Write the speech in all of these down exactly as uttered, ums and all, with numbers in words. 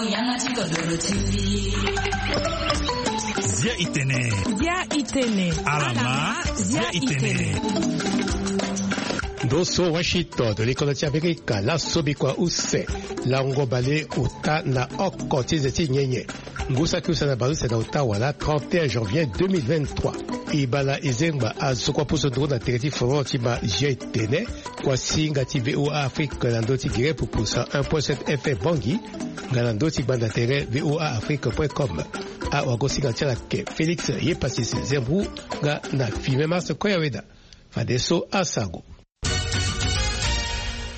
Yanga ti kodoro ti mbi. Zia itene. Zia itene. Alama. Zia itene. Ndo so Washington, likolo ti Amerika, laso bikua use, lango bale ota na oko ti ze ti nyenye. Ngu saki use na bale use na ota wala trente et un janvier deux mille vingt-trois. Ibala Izengba azokua pusu nduru na tere ti foro ti ma Zia itene. Kuasinga ti V O A Afrique na ndö ti Guinée pupu cent un point sept F M Bangui, nga na ndö ti gbanda tere V O A Afrique point com. Awagosinga ti ala ke Félix Yepasis Zembou, nga na Filme Mars Koyaweda. Fadeso asango.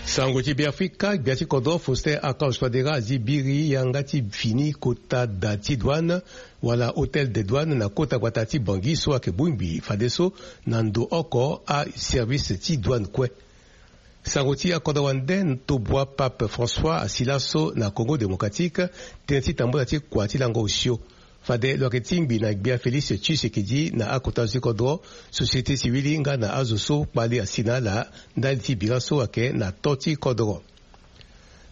Sango ti Beafrika, gbia ti kodro Faustin Archange Touadéra azi biri yanga ti fini kota da ti douane wala hôtel de douane na kota gbata ti Bangui so ayeke bongbi fadeso na ndo oko aservice ti douane kue. Sango ti akodro wande, tobua Pape François asi laso na Congo Démocratique, tënë ti tambula ti kua ti lango osio. Fade lo yeke tingbi na gbia Félix Tshisekedi na akota zo ti kodro, société civile nga na azo so kpali asi na ala ndali ti bira so ayeke na to ti kodro.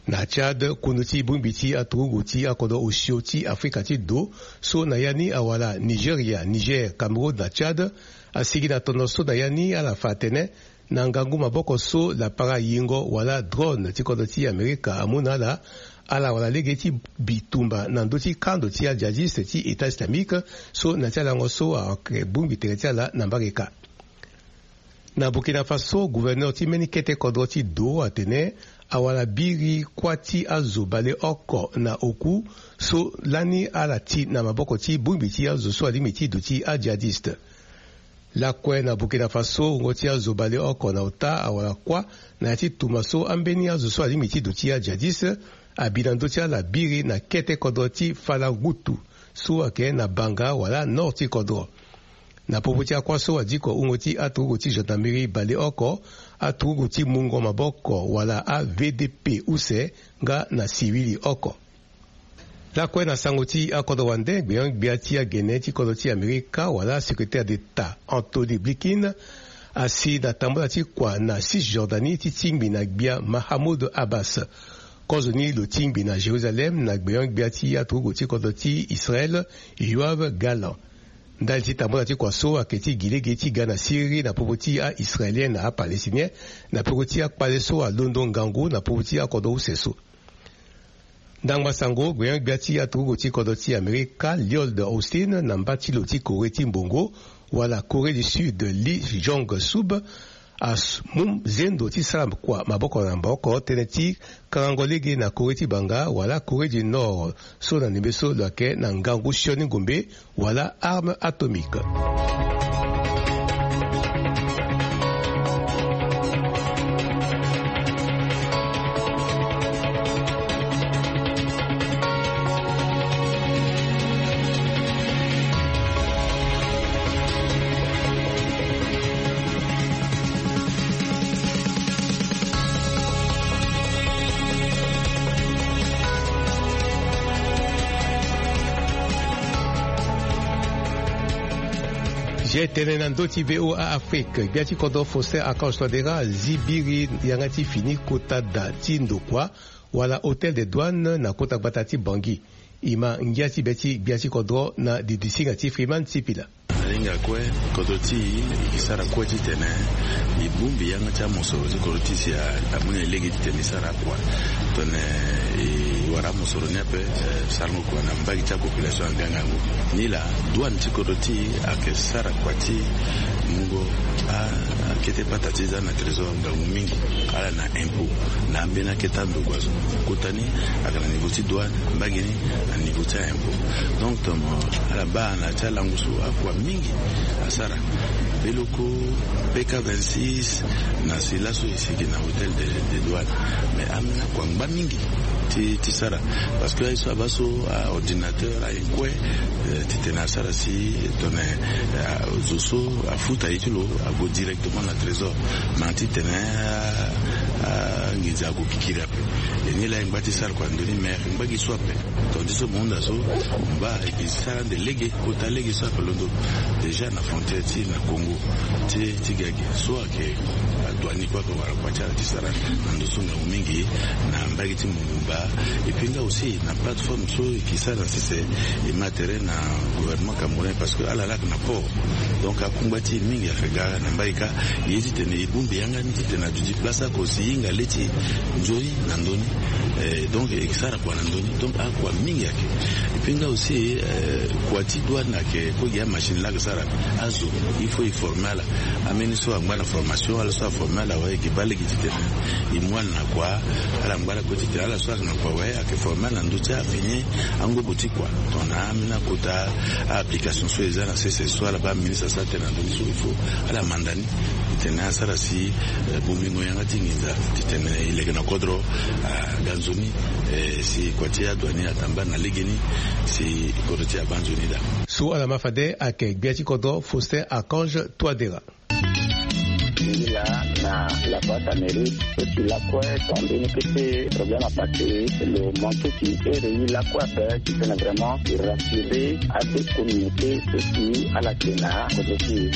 Na Tchad, kundu ti bongbi ti aturugu ti akodro osio ti Afrika ti do so na ya ni awara Nigeria, Niger, Cameroun na Tchad asigi na tondo so na ya ni ala fa atene na ngangu maboko so lapara yingo wala drone ti kodro ti Amerika amu na ala, ala wara lege ti bitumba na ndö ti kando ti ajihadiste ti État islamique so na ya ti alango so ayeke bongbi tere ti ala na mbarika. Na Burkina Faso, gouverneur ti mbeni kete kodro ti do atene awara biri kuâ ti azo baleoko na oku so lani ala ti na maboko ti bongbi ti azo so alingbi ti duti ajihadiste. Lakue na Burkina Faso, wungo ti azo baleoko na ota awara kuâ na ya ti tuma so ambeni azo so alingbi ti duti ajihadiste abi na ndö ti ala biri na kete kodro ti Falangutu so ayeke na Banga wala nord ti kodro. Na popo ti akuâ so adiko wungo ti aturugu ti gendarmerie baleoko, aturugu ti mungo maboko wala a V D P use nga na siwili oko. Lakue na sango ti akodro wande, gbenyo-gbia ti agene ti kodro ti Amerika wala secrétaire d'État Anthony Blinken asi na tambula ti kua na Cisjordanie ti tingbi na gbia Mahmoud Abbas. Kozoni lo tingbi na Jérusalem na gbenyo-gbia ti aturugu ti kodro ti Israël Yoav Gallant. Ndali ti tambula ti kua so ayeke ti gi lege ti ga na Syrie na popo ti a-Israélien na a-Palestinien na peko ti akpale so alondo ngangu na popo ti akodro use so. Ndangba sango, gbenyo-gbia ti aturugu ti kodro ti Amerika Lloyd Austin na mba ti lo ti Corée ti mbongo wala Corée du Sud Lee Jong-sub amu zendo ti sara kua maboko na maboko tënë ti karango lege na Corée ti Banga wala Corée du Nord so na ndembe so lo yeke na ngangu sioni ngombe wala arme atomique. Zia tënë na ndö ti V O A Afrique, gbia ti kodro Faustin Archange Touadéra azi biri yanga ti fini kota da ti ndokua wala hôtel de douane na kota gbata ti Bangui. E ma ngia ti be ti gbia ti kodro na didisinga ti Freeman Sipila. Alinga kue, kodro ti e, e sara kue titene e bongbi yanga ti amosoro ti kodro ti si a, amu na e lege titene e sara akua. Tongana e wara amosoro ni ape, eh, sarango kua na mbage ti apopulation angbi angangu. Nilaa, douane ti kodro ti e ayeke sara kua ti mungo a, akete pata ti za na trésor ngangu mingi. Ala na impôt na ambeni akete andokua so. Kota ni ayeke na niveau ti douane, mbage ni na niveau ti a-impôt. Donc, tongana ala baa na ya ti alango so akua mingi asara. Beloko P K vingt-six na si laso e sigi na hôtel de, de douane. Mais ambeni akua ngba mingi ti, ti sara. Parce que aye so abaa so, a-ordinateur, aye kue, eh, titene asara si tongana, eh, zo so afuta ye ti lo ague directement na trésor. Mais titene, eh, Anginza ako kikiri ape. E ni laa e ngba ti sara kua na ndö ni, mais e ngba gi so ape. Tongana ti so mo hunda so, mo baa e ke sara ande lege, kota lege so ape londo. Déjà na frontière ti na Congo ti, ti ga gi so ayeke adouane ni kue ape wala kua ti ala ti sara na ndo so ngangu mingi na mbage ti Mongumba. Et puis nga aussi na plateforme so e ke sara na sese, e ma tere na gouvernement camerounais parce que ala laa ayeke na port. Donc akungba ti e mingi ayeke ga na mbage kâ. Ye titene e bongbi yanga ni titene aduti place oko si e hinga le ti e nzoni na ndö ni. Eh, donc e ke sara kua na ndö ni, donc akua mingi ayeke. Et puis nga aussi, eh, kua ti douane ayeke kue gi amachine laa ayeke sara azo. Il faut e former ala. Ambeni so angba na formation, ala so aformer ala awe, e ke baa lege titene e mu ala na kua. Ala ngba ala kue titene ala so ayeke na kua awe ayeke former ala na ndö ti afini angobo ti kua. Tongana ambeni akota a-application so e za na sese so ala baa ministre asara tënë na ndö ni so, il faut ala manda ni titene asara si, eh, bongbingo yanga ti nginza titene e leke na kodro aga nzoni, eh, si kua ti adouane atambula na legeni, si kodro ti e abaa nzoni daa. So ala ma fade ayeke gbia ti kodro Faustin Archange Touadéra. Yi laa na la boîte à mairie, so si lakue tongana mbeni kete problème apassé, lo manqué ti ere yi lakue ape titene vraiment e rassurer ade communauté so si ala yeke na kodro ti e.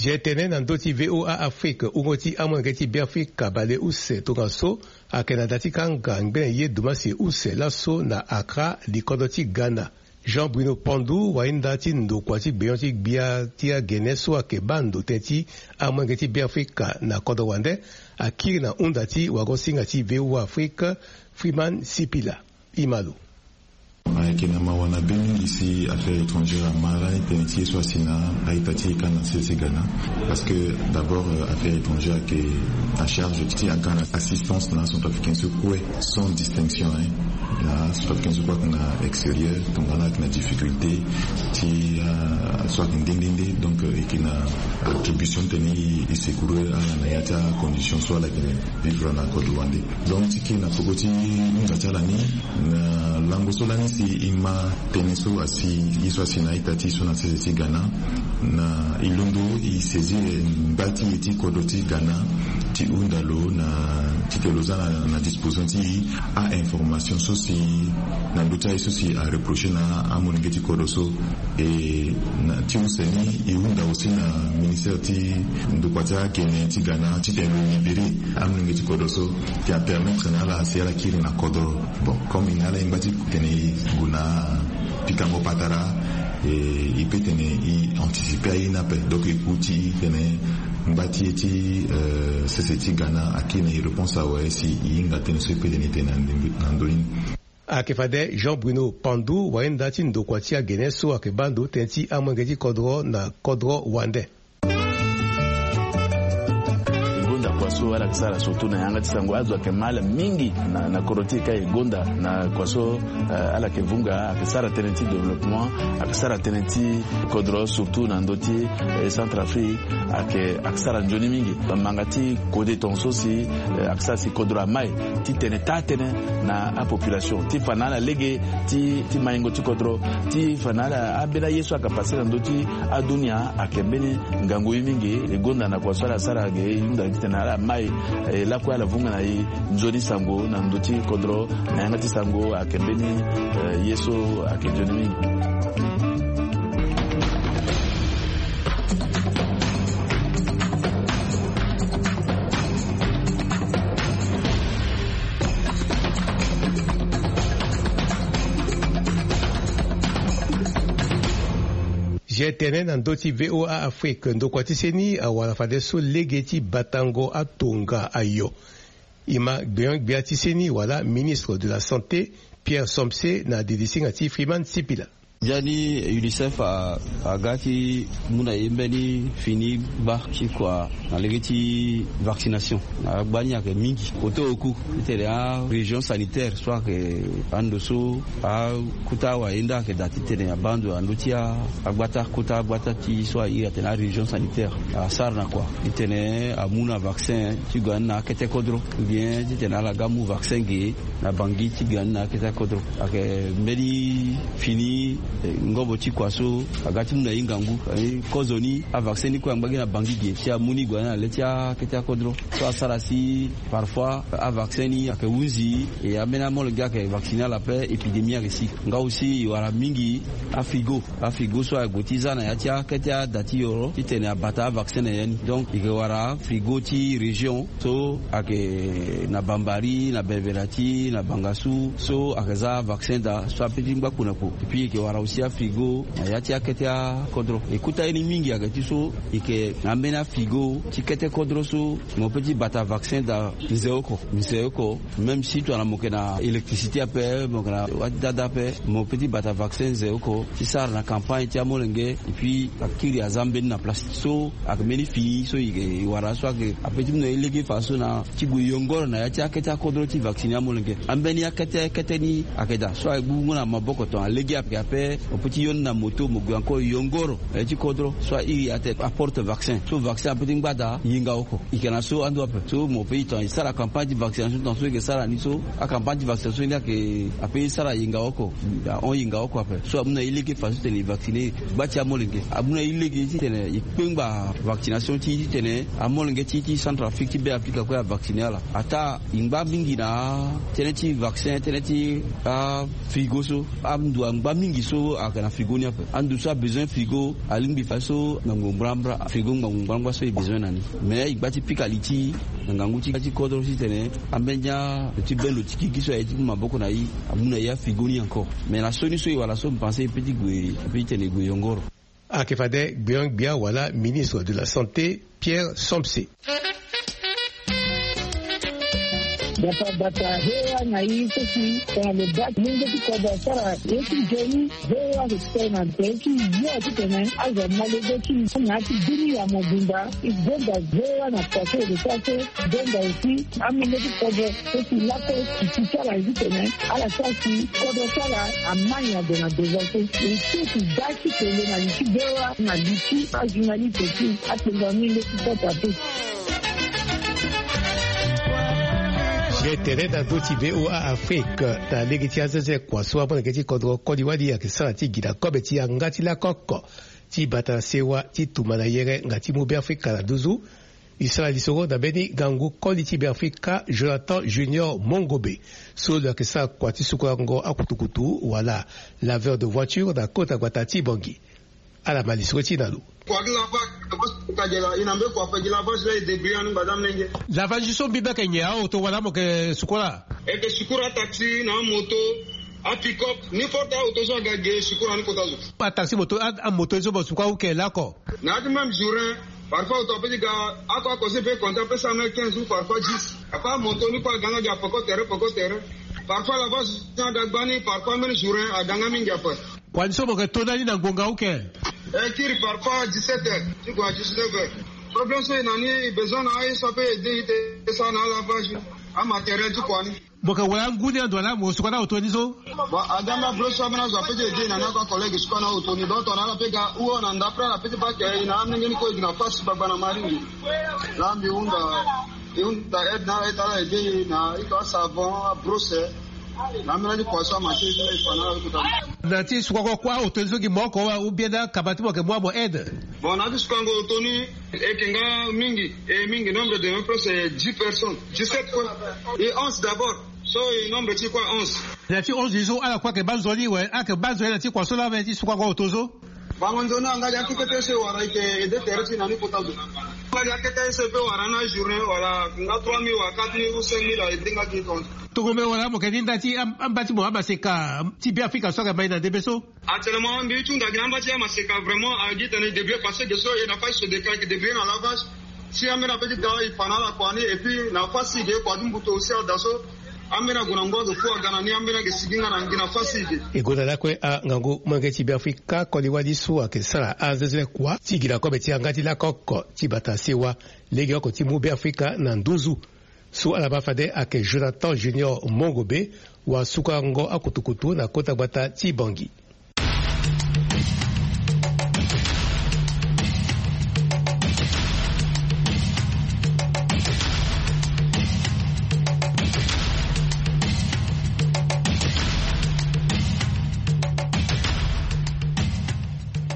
Zia tene na ndö ti V O A Afrique, wungo ti amolenge ti Beafrika baleuse tongaso ayeke na da ti kanga ngbene ye dumasi use laso na Accra, likodro ti Ghana. Jean Bruno Pandou, wahinda ti ndokua ti gbenyo ti gbia ti agene so ayeke baa ndo tënë ti amolenge ti Beafrika na kodro wande, akiri na hunda ti wagosinga ti V O A Afrique, Freeman Sipila. E ma lo. Ayeke na mawa na be mingi si affaire étrangère amara ni tënë ti ye so asi na a-ita ti e ka na sese Ghana. Parce que d'abord, euh, affaire étrangère ayeke na charge ti aga na assistance na acentrafricain so kue, sans distinction, hein. Na acentrafricain so kue ayeke na extérieur, tongana ayeke na difficulté ti, euh, so ayeke nde nde nde, donc, euh, e yeke na attribution titene e, e secourir ala na ya ti acondition so ala yeke vivre na kodro wande. Donc ti kiri na peko ti hunza ti ala ni, na lango so lani si e ma tënë so asi, ye so asi na a-ita ti e so na sese ti Ghana, na e londo e saisir ngba ti e ti kodro ti Ghana ti hunda lo na, titene lo za na, na disposition ti e a-information so si na ndö ti aye so si areprocher na amolenge ti kodro so. E na ti use ni e hunda aussi na ministère ti ndokua ti agene ti Ghana titene lo libérer amolenge ti kodro so, ti apermettre na ala si ala kiri na kodro. Bon, comme e na ala e ngba ti tene e gue na pikango patara, e, e peut tene e anticiper aye ni ape. Donc e ku ti tene ngba ti e ti, euh, sese ti Ghana akiri na e réponse awe si e hinga tënë so e peut tene e tene na ndö ni. Ayeke fade Jean Bruno Pandou, wahinda ti ndokua ti agene so ayeke baa ndo tënë ti amolenge ti kodro na kodro wande. E gonda kua so ala yeke sara surtout na yanga ti sango, azo ayeke ma ala mingi na, na kodro ti e ka e gonda na kua so, eh, ala yeke vunga, ayeke sara tënë ti développement, ayeke sara tënë ti kodro surtout na ndö ti, eh, Centrafrique. Ayeke, ayeke sara nzoni mingi. Manga ti kode tongaso si, eh, ayeke sara si kodro amai ti tene taa-tënë na apopulation ti fa na ala lege ti, ti maingo ti kodro, ti fa na ala ambeni aye so ayeke pase na ndö ti adunia ayeke mbeni ngangu ye mingi. E gonda na kua so ala sara ge, e hunda titene ala mai, eh, lakue ala vunga na e nzoni sango na ndö ti kodro. Na yanga ti sango ayeke mbeni, eh, ye so ayeke nzoni mingi. Zia tene na ndö ti V O A Afrique, ndokua ti seni awara fadeso lege ti batango atonga ayo. E ma gbenyo-gbia ti seni wala ministre de la Santé, Pierre Somse, na didi singa ti Freeman Sipila. Ndia ni UNICEF aga ti mu na ye mbeni fini gba ti kua na lege ti vaccination. Agba ni ayeke mingi kote oku titene arégion sanitaire so ayeke ando so akuta awa ye nda ayeke daa titene abaa ndo na ndö ti agbata kota agbata ti so airi atene arégion sanitaire. Asara na kua titene amu na vaccin ti gue ani na akete kodro, ou bien titene ala ga amu vaccin ge na bangi ti gue ani na akete kodro. Ayeke mbeni fini ngobo ti kua so aga ti mu na ye ngangu. Kozoni avaccin ni kue angba gi na bangi ge si amu ni gue na le ti akete akodro. So asara si parfois avaccin ni ayeke hunzi e ambeni amolenge ayeke vacciner ala pe épidémie ayeke si. Nga aussi e wara mingi afrigo afrigo so ague ti za na ya ti akete ada ti yoro titene abata avaccin na ya ni. Donc e ke wara afrigo ti région so ayeke na bambari na belverati na bangasu so ayeke za vaccin daa so ape ti ngba kpo na kpo. Epui e ke wara aussi afrigo na ya ti akete akodro. E kota ye ni mingi ayeke ti so e ke na ambeni afrigo ti kete kodro so mo pe ti bata vaccin daa. Nze oko nze oko. Même si tongana mo yeke na électricité ape mo yeke na wati dada ape mo pe ti bata vaccin nze oko ti sara na campagne ti amolenge. Epui akiri aza mbeni na place so ayeke mbeni fini so e wara so ayeke ape ti mu na e lege faso na ti gue yongoro na ya ti akete akodro ti vacciner amolenge. Ambeni akete kete ni ayeke daa so aye gbu ngu na maboko tongana lege ayeke ape mo pe ti yo ni na moto mo gue encore yongoro na ya ti kodro so airi atene aporte vaccin so vaccin ape ti ngba daa yinga oko. E yeke na so ando ape so mo pe e tongana e sara campagne ti vaccination tongana so e yeke sara ni so acampagne ti vaccination ni ayeke ape e sara yinga oko. Ahon yinga oko ape so amu na e lege faso titene e vacciner gba ti amolenge. Amu na e lege titene e kpengba vaccination ti e titene amolenge ti e ti Centrafrique ti Beafrika kue avacciner ala. Ataa e ngba mingi na tënë ti vaccin tënë ti afrigo so. Ando angba mingi so ayeke na frigo ni ape. Ando so abezoin frigo alingbi faso ngangu ngbangba frigo ngangu ngbangba so e bezoin na ni. Mais e gba ti pika li ti e na ngangu ti kodro titene ambeni alo ti bendo ti kiki so aye ti mu maboko na e amu na e afrigo ni encore. Mais na so ni so e wara so mpanse e pe ti gue e pe ti tene e gue yongoro. Ayeke fade gbia gbia wala ministre de la santé Pierre Somse. Bata bata hewa na i seki tongana lo baa ti mungo ti kodro asara ye ti nzoni. Hewa lo ti tene na tere ti yo titene azo amolenge ti na ya ti dunia mobimba. E gonda hewa na kua so e lo sara so. Gonda aussi amolenge ti kodro so si lako si ti sara ye titene ala sara si kodro ti ala amai na gue na devant so. E so si da ti kele na li ti hewa na li ti ajournaliste ti atengua mingi ti kota te. Ge tere na ndö ti VOA Afrique na lege ti azenze kua so amolenge ti kodro koli wali ayeke sara ti gi na kobe ti yanga ti lako oko ti bata na sewa ti tumba na yere nga ti mu Beafrika na nduzu. E sara lisoro na mbeni ngangu koli ti Beafrika Jonathan Junior Mongobe so lo yeke sara kua ti sukurango akutukutu wala laveur de voiture na kota gbata ti Bangui. Ala ma lisoro ti e na lo. Kua ti lavage, lavage ti kadiela, e na mbeni kua ape gi lavage la e débrouiller ni ngba ti amolenge. Lavage so mbi mbi ayeke nyen, aoto wala mo yeke sukura? E yeke sukura ataxi na amoto, apick-up, n'importe aoto so aga ge e sukura ni kota zo. Ataxi, moto, a, amoto so mo sukura ou ke lako? Na ya ti même journée, parfois aoto ape ti ga, ako ako so e pe compter ape sara même quinze ou parfois dix. Parfois amoto ni kue aga nga gi peko tere peko tere. Parfois lavage aga gba ni, parfois même journée aga nga mingi ape. Kua ni so mo yeke to na ni na ngonga auquel? E kiri parfois dix-sept heures ti gue na dix-neuf heures. Problème so e na ni, e besoin na aye so ape aider e ti e sara na alavage, amatériel ti kua ni. Mo yeke wara angu ni ando wala mo suka na aoto ni so? Bon, aga na bro so ambeni azo ape ti aider e na ni, ako acollègue suka na aoto ni, donc tongana ala pe ga ou na ndapre ala pe ti bake e na amolenge ni kue e gi na face gbagba na maringi. Laa mbi hunda, e hunda aide na ala, e ti ala aider e na ito asavon, abrose. Na ambeni ti kua so amatériel ti e fa na ala kota. Na ti sukango kue aoto ni so gi mo oko wa ou bien na akaba ti mo yeke mu amo aide? Bon, na ti sukango oto ni e yeke nga mingi, e mingi, nombre de même presque dix personnes, dix-sept quoi. E onze d'abord, so e nombre ti e kue onze. Na ti onze ni so ala kue ayeke baa nzoni, we, ala yeke baa nzoni na ti kua so laa, me ti sukango oto so. Bango nzoni anga gi akete so e wara, e yeke aider tere ti e na ni kota zo. Anga gi akete so e pe wara na journée wala nga trois mille wala quatre mille ou cinq mille a aider nga gi tongaso. Tongombe wala mo yeke ni nda ti am-, amba ti mo amaseka ti Beafrika so ayeke mai na ndembe so? Actuellement mbi ti hunda gi na amba ti amaseka vraiment, a gi tene e débrouiller parce que ge so e na faille so deka e yeke débrouiller na lavage. Si ambeni ape ti ga e fa na ala kua ni, et puis na faille si ge kua ti mbutu aussi ada so. Ambeni ague na ngoi azo fo aga na ni, ambeni ayeke sigi nga na nginafasi ge. E gonda lakue angangu molenge ti Beafrika koli wali so ayeke sara anzenze kuâ ti gi na kobe ti yanga ti lako oko ti bata sewa lege oko ti mu Beafrika na nduzu. So ala baa fade ayeke Jonathan Junior Mongobe, wasukango akutukutu na kota gbata ti Bangui.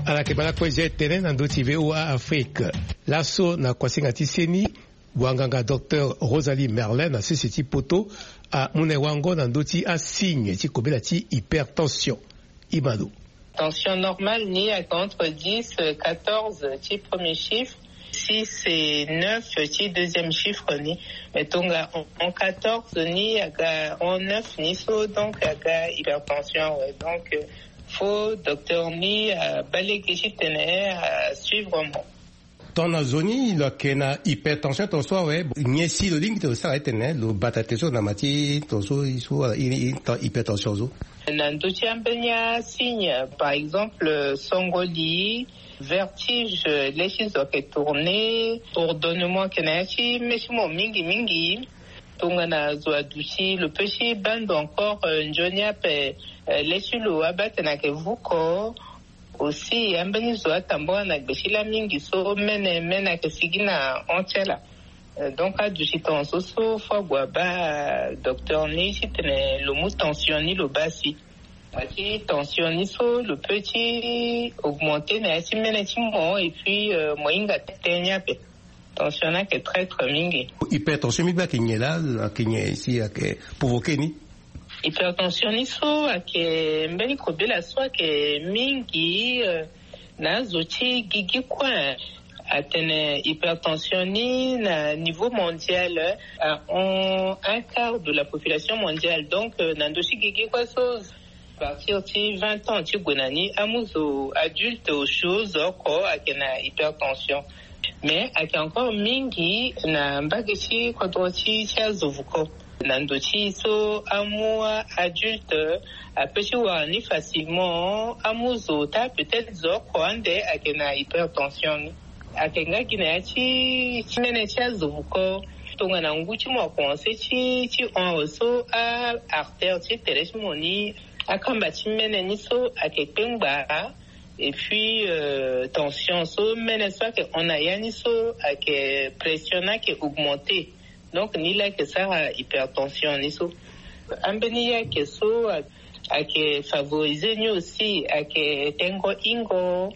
Ala yeke baa lakue zia tënë na ndö ti V O A Afrique. Laso na kuasinga ti seni, wanganga docteur Rosalie Merlin na sese ti poto amu na e wango na ndö ti asigne ti kobela ti hypertension. Imano. Tension normale ni ayeke entre dix, quatorze ti premier chiffre, six et neuf ti deuxième chiffre ni. Mais tonga en quatorze ni aga en neuf ni so, donc aga hypertension, ouais. Donc, euh, faut docteur ni, euh, abaa lege titene, euh, asuivre mo. Tongana zo ni lo yeke na hypertension tongaso awe, nyen si lo lingbi tene lo sara titene lo bata tere so na ma ti tongaso so ala iri, iri hypertension so? Na ndö ti ambeni asigne, par exemple, songo li, vertige, le ti zo ayeke tourner, bourdonnement ayeke na ya ti mê ti mo mingi mingi. Tongana zo aduti, lo peut ti baa ndo encore, euh, nzoni ape, euh, le ti lo abaa tene ayeke vuko. Aussi, ambeni zo atambula na gbe ti lâ mingi so mene, mene ayeke sigi na hon ti ala. Euh, donc, aduti tongaso so, faut ague abaa docteur ni titene lo mu tension ni lo baa si. Bati tension ni so, lo peut ti augmenter na ya ti mene ti mo, et puis, euh, mo hinga tënë ni ape. Tension ni ayeke très, très mingi. Hypertension mingi ayeke nyen laa, ayeke nyen si ayeke provoquer ni? Hypertension ni so ayeke mbeni kobela so ayeke mingi, euh, na azo ti gigi kue. Atene hypertension ni na niveau mondial, euh, ahon un quart de la population mondiale. Donc, euh, na ndö ti gigi kue so, à partir ti vingt ans ti gue na ni, amu zo adulte osio zo oko ayeke na hypertension. Mais ayeke encore mingi na mbage ti kodro ti, ti azo vuko. Na ndo ti so amu adulte apeut ti wara ni facilement, amu zo ota, peut-être zo oko ande ayeke na hypertension ni. Ayeke nga gi na ya ti, ti mene ti azo vuko. Tongana ngu ti mo akomanse ti, ti hon awe so, a artère ti tere ti mo ni, akamba ti mene ni so ayeke kpengba. Et puis, euh, tension so mene so ayeke hon na ya ni so ayeke, pression ni ayeke augmenter. Donc, ni laa ayeke sara hypertension ni so. Ambeni ye ayeke so ayeke favoriser ni aussi, ayeke tengo hingo,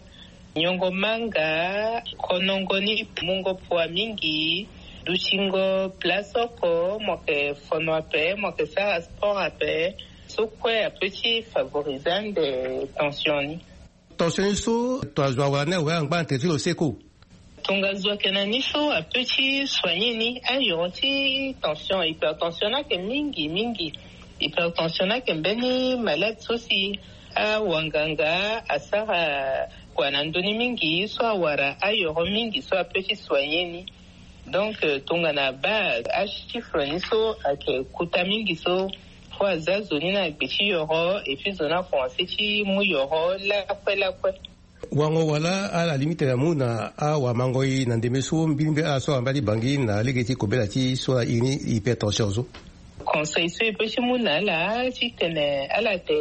nyongo manga, konongo ni, mungo poids mingi, dutingo place oko, mo yeke fono ape, mo yeke sara sport ape. So kue apeut ti favoriser ande tension ni. Tension ni so, tongana zo awara ni awe, angba na tere ti lo seko. Tonga zo ayeke na ni so apeut ti soigner ni. Ayoro ti tension, hypertension ni ayeke mingi mingi. Hypertension ni ayeke mbeni malade so si awanganga asara kua na ndö ni mingi, so awara ayoro mingi so apeut ti soigner ni. Donc, euh, tongana abaa achiffre ni so ayeke kota mingi so, faut aza zo ni na gbe ti yoro, et puis zo ni akomanse ti mu yoro lakue lakue. Wango wala ala lingbi tene amu na awamangoi na ndembe so mbirimbiri, ala so awara mbali Bangui na lege ti kobela ti so ala iri ni hypertension so? Conseil so e peut ti mu na ala titene ala te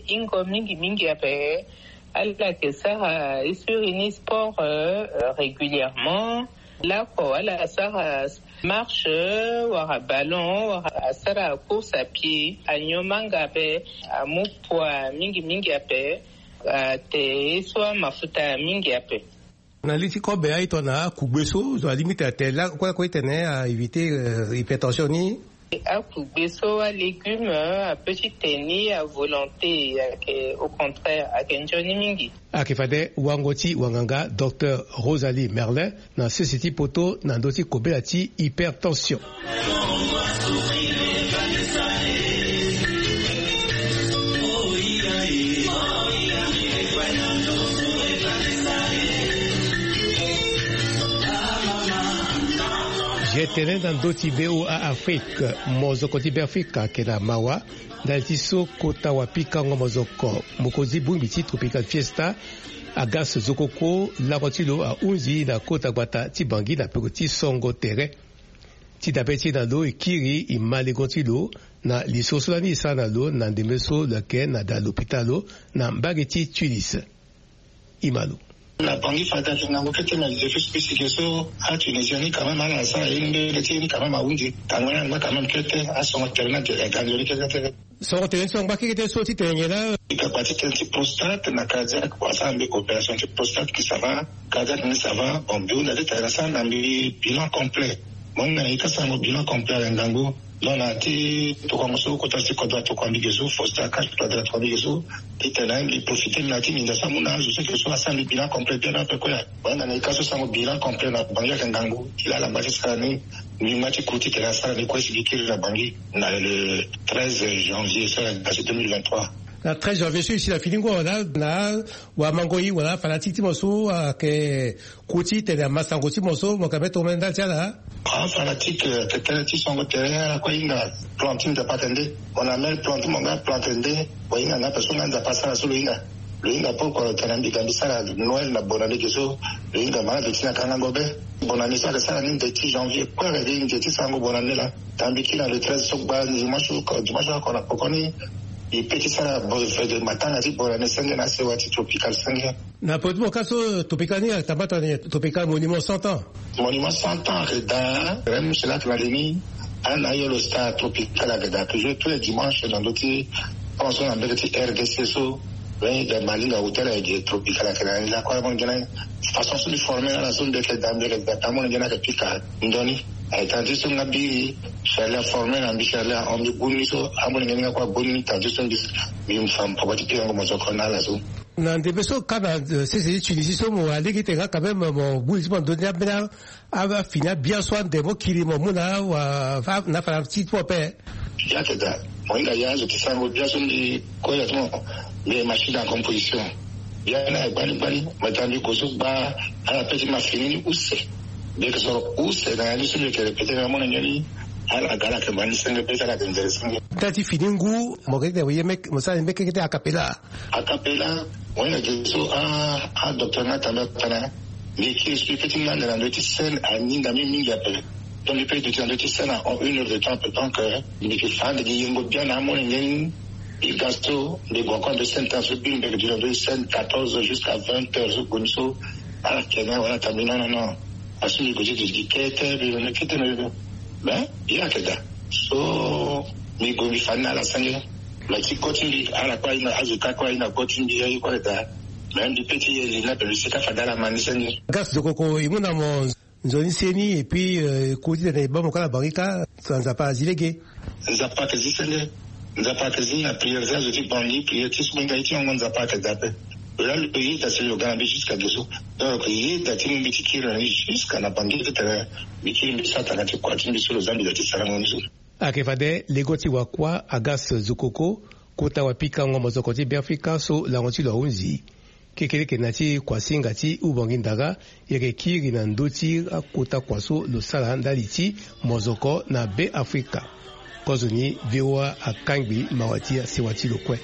hingo mingi mingi ape, ala yeke sara, e siri ni sport, euh, régulièrement. Lako ala sara marche, wala ballon, wala asara course à pied, anyo manga ape, amu poids mingi mingi ape, ate ye so amafuta mingi ape. Na li ti kobe aye tongana akugbe so, zo alingbi tene ate lakue lakue titene a éviter, euh, hypertension ni? Akugbe so, alégume, apeut ti te ni à volonté, ayeke, au contraire, ayeke nzoni mingi. Ayeke fade wango ti wanganga docteur Rosalie Merlin na sese ti poto na ndö ti kobela ti hypertension. G Tene na ndö ti V O A Afrique, mozoko ti Beafrika ayeke na mawa ndali ti so kota wapikango mozoko mokonzi bongbi ti Tropical Fiesta Agas Zokoko, lango ti lo ahunzi na kota gbata ti Bangui na peko ti songo tere. Ti dabe ti e na lo, e kiri e ma lengo ti lo na lisoro so lani e sara na lo na ndembe so lo yeke na da lopitalo na mbage ti Tunis. E ma lo. Na Bangui fade ayeke ngangu kete, mais depuis so kpisi ge so aTunisien ni quand même ala sara ye ni mbeni ti ye ni quand même ahunzi. Tanga ni angba quand même kete, asongo tere ni ade, aganzoni kete kete. Songo tere ni so angba kekete so ti tene nyen laa? Bika kua ti tene ti prostate na cardiaque, kua asara mbi opération ti prostate, mbi ça va, cardiaque ni ça va. Bon, mbi hunda ti tene na sara na mbi bilan complet. Mo hinga na e ka sarango bilan complet ayeke ngangu. Donc na ya ti tokuango so kota ti kodro atokua mbi ge so, Faustin Archange Touadéra atokua mbi ge so, ti tene na ye mbi profiter na ya ti nginza so amu na azo so ayeke so asara mbi bilan complet bien ape kue. Mo hinga na e ka so sarango bilan complet na Bangui ayeke ngangu. Ti laa ala ngba ti sara ni. Mbi ngba ti ku ti tene asara ni kue si mbi kiri na Bangui na le treize janvier so ayeke ga so deux mille vingt-trois. Na treize janvier so e si na fini ngu awe, na wamango e wala afanatique ti mo so ayeke ku ti tene amasango ti mo so mo yeke ambeni tongomene ndali ti ala? Afanatique, eh, ayeke tënë ti songo tere, ala kue ahinga plan ti Nzapa ayeke nde. Mo na mel plan ti mo nga, plan ayeke nde. Mo hinga nga ape so nga Nzapa asara so lo hinga. Lo hinga pourquoi lo tene na mbi ga mbi sara Noël na bonne année ge so. Lo hinga ma na ndö ti na kangango be. Bonne année so ayeke sara ni ndö ti janvier kue ayeke gi nze ti sarango bonne année laa. Tanga mbi kiri na le treize so gba dimanche, dimanche oko na pokoni. E pe ti sara bo-, fête matanga ti bonne année senge na asewa ti Tropical senge. Na peko ti mo ka so Tropical ni ayeke tambata ni, Tropical Monument cent ans. Monument cent ans ayeke daa, même cela ayeke na li ni. Ana yo lo star Tropical ayeke daa toujours tous les dimanches na ndö ti, awa so na mbege ti R D C so. Lo hinga Malinga Hotel ayeke gi Tropical ayeke na ni lakue, amolenge ni. Façon so mbi former na ala so mbi yeke daa, mbi yeke daa, amolenge ni ayeke pika ndo ni. Aye tanga ti so nga biri Charlie aformer na mbi, Charlie ahon mbi gbu ni so, amolenge ni nga kue agbu ni, tanga ti so mbi, mbi fa mpoko ti pikango mozoko na ala so. Na ndembe so ka na, eh, sese ti Tunisie so mo wara lege ti tene nga quand même mo gbu li ti mo na ndö ni ambeni a, a, afini abia so ande mo kiri mo mu na wa, fa, na fana ti ti mo ape. Bia ayeke daa. Mo hinga ya azo ti sarango bia so mbi kue ya ti mo. Mbi machine en composition. Bia ni aye gbani gbani. Mo tanga mbi gue so gba ala pe ti ma fini ni use. Mbi yeke soro use na ya ni so mbi yeke répéter na amolenge ni. Ala ga ala yeke ma ni senge, pe ti ala yeke nzere senge. Ndali ti fini ngu mo yeke tene mo ye meke, mo sara ni meke kete a cappella. A cappella, mo hinga ge so a, a docteur nga tambela tana. Mbi yeke expliquer ti nga ande na ndö ti scène aninga mbi mingi ape. Donc mbi pe duti na ndö ti scène en une heure de temps ape. Donc, euh, mbi yeke fa ande gi yengo bia na amolenge ni. Mbi ga so mbi gue encore na ndö ti scène tana so biri mbi yeke duti na ndö ti scène quatorze heures jusqu'à vingt heures so gue ni so. Ala yeke na wala tana mbi non non non. Asu mbi gue ti duti gi kete mbi mene kete na yo. Mais ye ayeke daa. So mbi gue mbi fa ni na ala senge. Mais ti koti mbi ala kue ahinga, azo ka kue ahinga koti mbi, aye kue ayeke daa. Mais mbi pe ti ye li ni ape, mbi sika fade ala ma ni senge. Gas Zokoko, e mu na mo nzoni seni, et puis, euh, e ku ti tene e baa mo kâ na Bangui kâ, Nzapa azi lege. Nzapa ayeke zi senge. Nzapa ayeke zi na prière ti azo ti Bangui, prière ti so mo hinga ye ti ngongo Nzapa ayeke daa ape. Lo laa lo yeda si lo ga na mbi jusqu'à ge so. Donc lo yeda ti mu mbi ti kiri na ni jusqu'à na Bangui ti tene mbi kiri mbi sara tanga ti kua ti mbi so lo za mbi daa ti sarango ni so. Ayeke fade lengo ti wakua Agas Zokoko, kota wapikango mozoko ti Beafrika so lango ti lo ahunzi. Kekereke na ya ti kuasinga ti Ubangui Ndara, e yeke kiri na ndö ti akota kua so lo sara ndali ti mozoko na Beafrika. Kozoni V O A akangbi mawa ti asewa ti lo kue.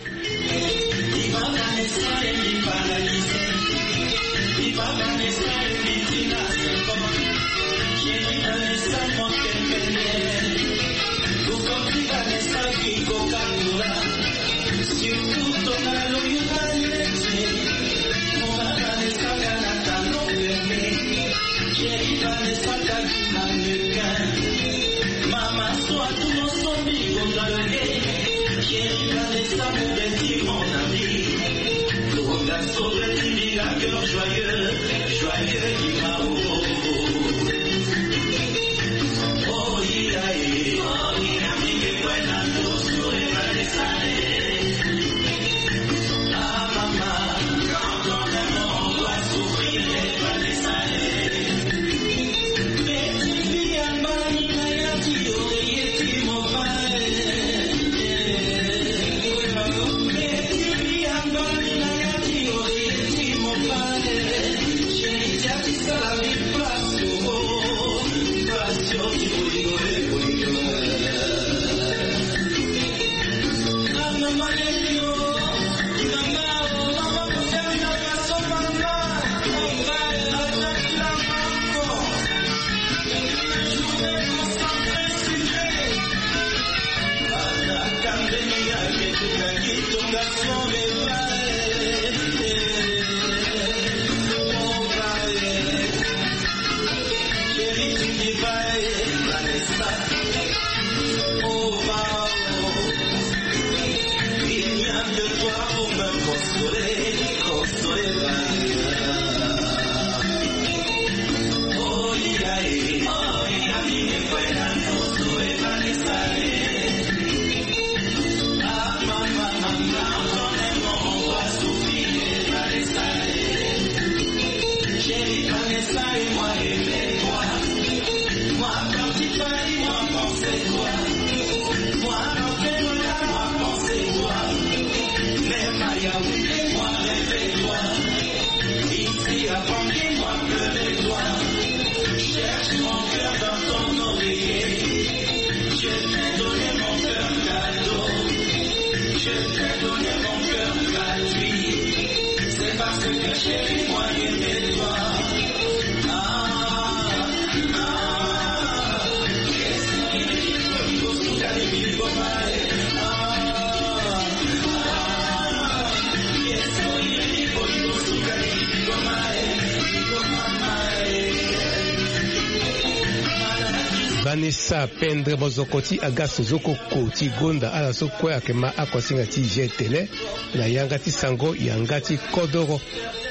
Vanessa Pendre, mozoko ti Agasse Zokoko ti gonda ala so kue ayeke ma akosinga ti G T L na yanga ti sango yanga ti kodoro.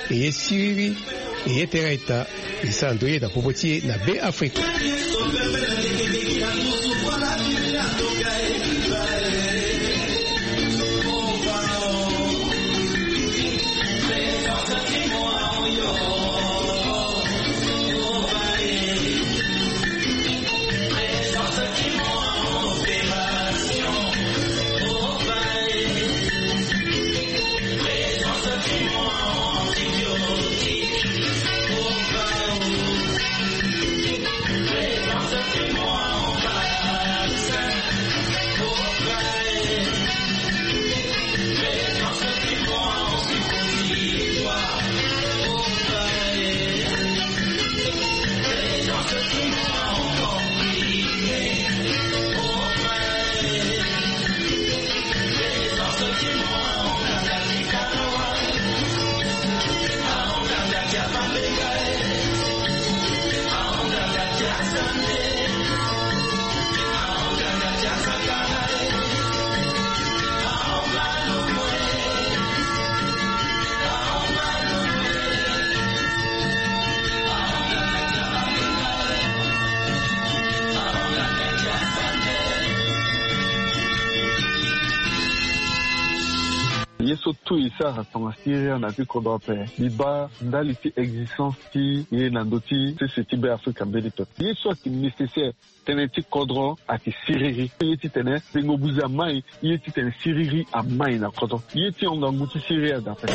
E ye siriri, e ye tere aita, e sara ndoye na popo ti e na Be Afrika. Ye so tout e sara tonga siriri na ya ti kodro ape, mbi baa ndali ti existence ti e na ndö ti sese ti Be Afrika mbeni pepe. Ye so ayeke nécessaire, tënë ti kodro ayeke siriri. Ye titene tengo buze amai, ye titene siriri amai na kodro. Ye ti hon ngangu ti siriri ada ape.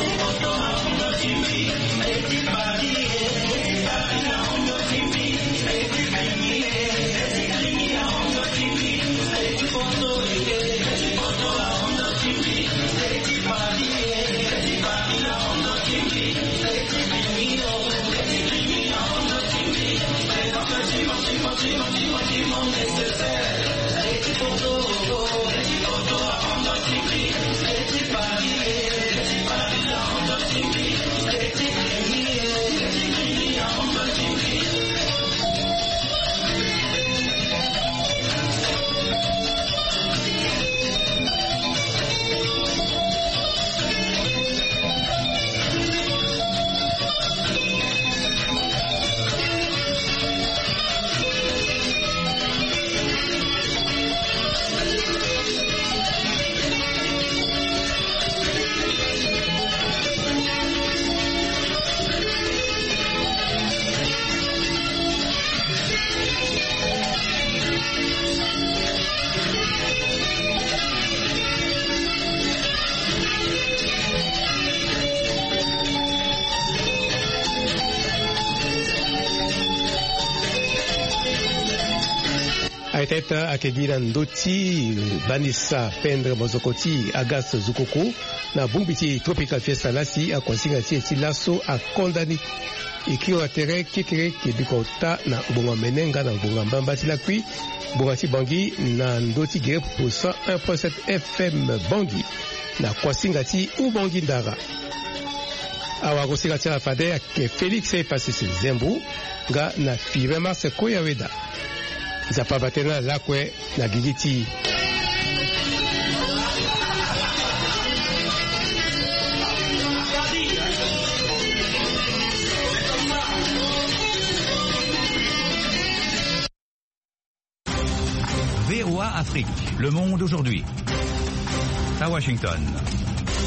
Peut-être ayeke gi na ndö ti Vanessa Pendre, mozoko ti Agas Zukoko, na bongbi ti Tropical Fiesta laa si akuasinga ti e ti laso akonda ni. E kiri wa tere kekereke biko ota na ngbonga mene nga na ngbonga mbamba ti lakui. Ngbonga ti Bangui na ndö ti gere popo cent un point sept F M Bangui na kuasinga ti Ubangui Ndara. Awagosinga ti ala fade ayeke Félix Epasese Zembo nga na Firin Marse Koyaweda. Nzapa bate na lakue na gigi ti V O A Afrique, le monde aujourd'hui. À Washington.